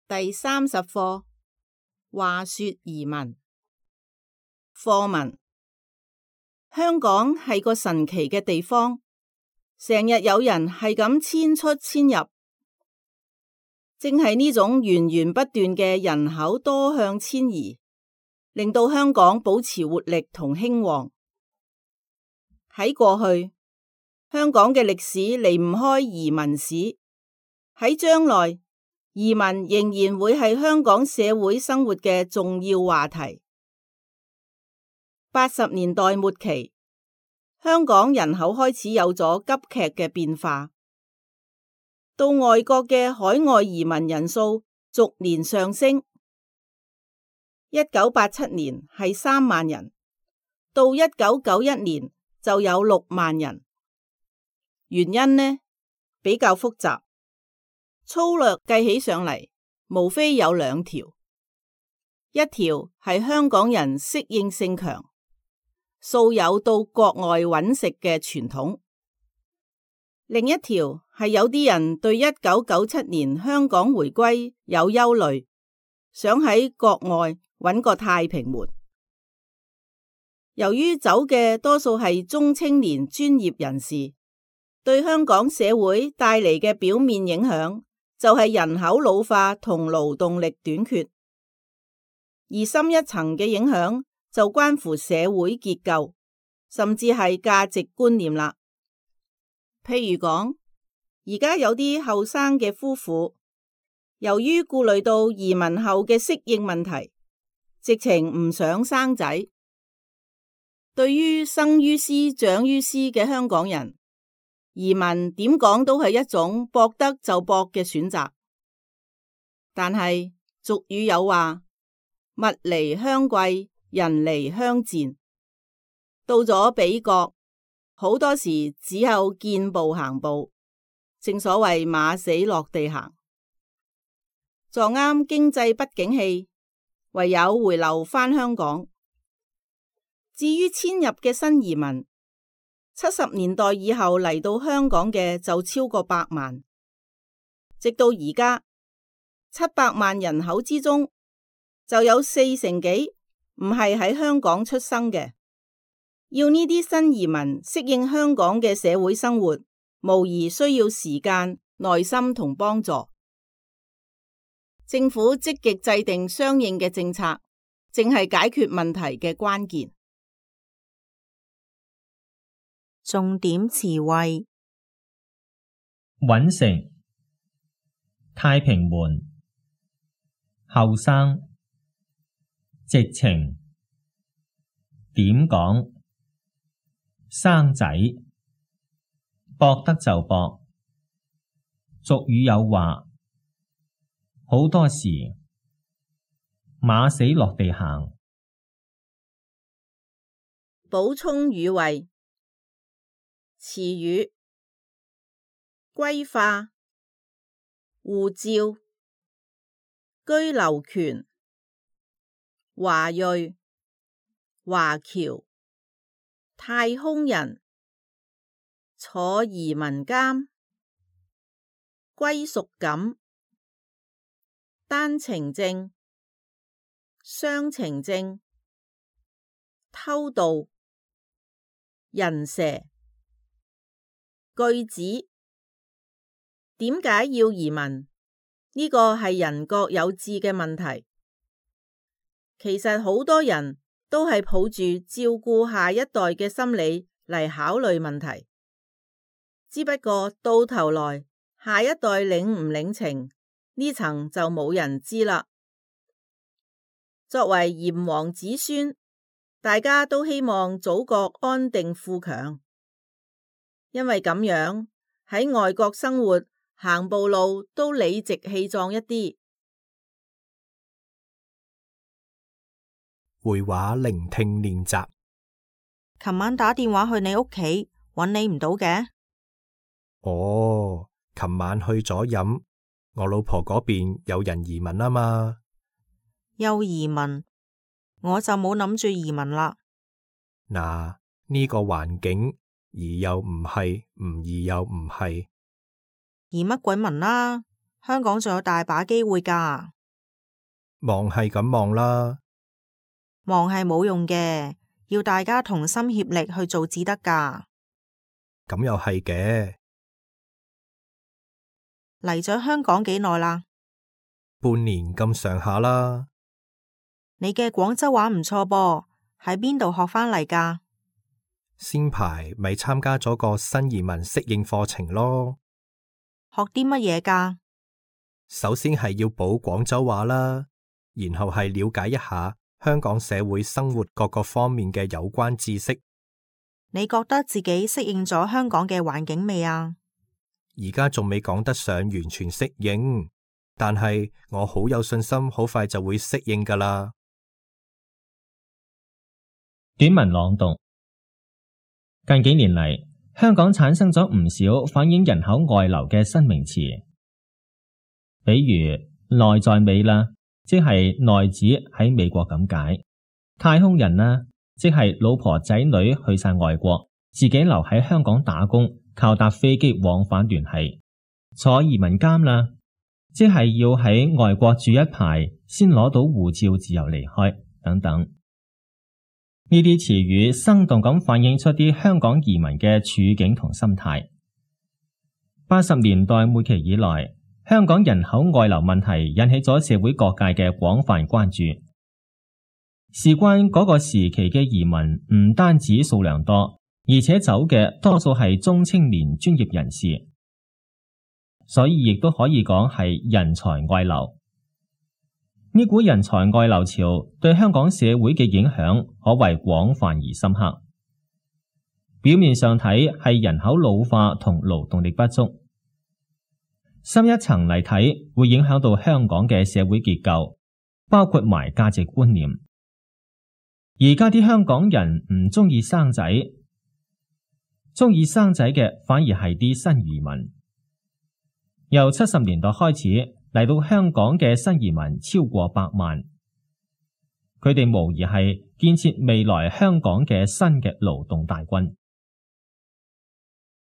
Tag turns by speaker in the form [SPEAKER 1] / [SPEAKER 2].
[SPEAKER 1] 第30課，話說移民。課文：香港係個神奇嘅地方，成日有人係咁遷出遷入，正係呢種源源不斷嘅人口多向遷移，令到香港保持活力同興旺。喺過去，香港嘅歷史離唔開移民史，喺將來，移民仍然會係香港社會生活嘅重要話題。80年代末期，香港人口開始有咗急劇嘅變化，到外國嘅海外移民人數逐年上升。1987年係3萬人，到1991年就有6萬人。原因呢，比較複雜，粗略計起上嚟，無非有2條。一條係香港人適應性強，素有到國外揾食嘅傳統；另一條係有啲人對1997年香港回歸有憂慮，想喺國外揾個太平門。由於走嘅多數係中青年專業人士，對香港社會帶嚟嘅表面影響就係人口老化同勞動力短缺，而深一層嘅影響就關乎社會結構，甚至係價值觀念啦。譬如講，而家有啲後生嘅夫婦，由於顧慮到移民後嘅適應問題，直情唔想生仔。對於生於斯長於斯嘅香港人，移民點講都係一種搏得就搏嘅選擇。但係俗語有話，物離鄉貴，人離鄉賤。到咗彼國，好多時只有見步行步，正所謂馬死落地行。撞啱經濟不景氣，唯有回流返香港。至於遷入嘅新移民，70年代以後嚟到香港嘅就超過100萬，直到而家700萬人口之中，就有4成幾唔係喺香港出生嘅。要呢啲新移民適應香港嘅社會生活，無疑需要時間、耐心同幫助。政府積極制定相應嘅政策，正係解決問題嘅關鍵。
[SPEAKER 2] 重點詞彙：
[SPEAKER 3] 揾食、太平門、後生、直情、點講、生仔、搏得就搏。俗語有話，好多時馬死落地行。
[SPEAKER 1] 補充語彙：詞語：歸化、護照、居留權、華裔、華僑、太空人、坐移民監、歸屬感、單程證、雙程證、偷渡、人蛇。句子：點解要移民？呢個係人各有志嘅問題。其實好多人都係抱住照顧下一代嘅心理嚟考慮問題，只不過到頭來下一代領唔領情，呢層就冇人知啦。作為炎黃子孫，大家都希望祖國安定富強，因為咁樣喺外國生活行步路都理直氣壯一啲。
[SPEAKER 4] 會話聆聽練習。
[SPEAKER 2] 琴晚打電話去你屋企，搵你唔到嘅。
[SPEAKER 4] 哦，琴晚去咗飲，我老婆嗰邊有人移民啊嘛。
[SPEAKER 2] 又移民，我就冇諗住移民啦。
[SPEAKER 4] 嗱，呢個環境移又唔係，唔移又唔係。
[SPEAKER 2] 移乜鬼民啦？香港仲有大把機會㗎。
[SPEAKER 4] 望係咁望啦，
[SPEAKER 2] 望係冇用嘅，要大家同心協力去做至得㗎。
[SPEAKER 4] 咁又係嘅。
[SPEAKER 2] 嚟咗香港幾耐啦？
[SPEAKER 4] 半年咁上下啦。
[SPEAKER 2] 你嘅廣州話唔錯噃，喺邊度學返嚟㗎？
[SPEAKER 4] 先排咪參加咗個新移民適應課程咯。
[SPEAKER 2] 學啲乜嘢㗎？
[SPEAKER 4] 首先係要補廣州話啦，然後係了解一下香港社會生活各個方面嘅有關知識。
[SPEAKER 2] 你覺得自己適應咗香港嘅環境未啊？
[SPEAKER 4] 而家仲未講得上完全適應，但係我好有信心，好快就會適應㗎啦。
[SPEAKER 3] 短文朗讀。近幾年嚟，香港產生咗唔少反映人口外流嘅新名詞，比如內在美啦，即係內子喺美國咁解；太空人啦，即係老婆仔女去晒外國，自己留喺香港打工，靠搭飛機往返聯繫；坐移民監啦，即係要喺外國住一排先攞到護照自由離開等等。呢啲詞語生動咁反映出啲香港移民嘅處境同心態。80年代末期以來，香港人口外流問題引起咗社會各界嘅廣泛關注。事關嗰個時期嘅移民唔單止數量多，而且走嘅多數係中青年專業人士，所以亦都可以講係人才外流。呢股人才外流潮對香港社會嘅影響可謂廣泛而深刻。表面上睇係人口老化同勞動力不足，深一層嚟睇會影響到香港嘅社會結構，包括埋價值觀念。而家啲香港人唔中意生仔，中意生仔嘅反而係啲新移民。由70年代開始嚟到香港嘅新移民超過100萬，佢哋無疑係建設未來香港嘅新嘅勞動大軍。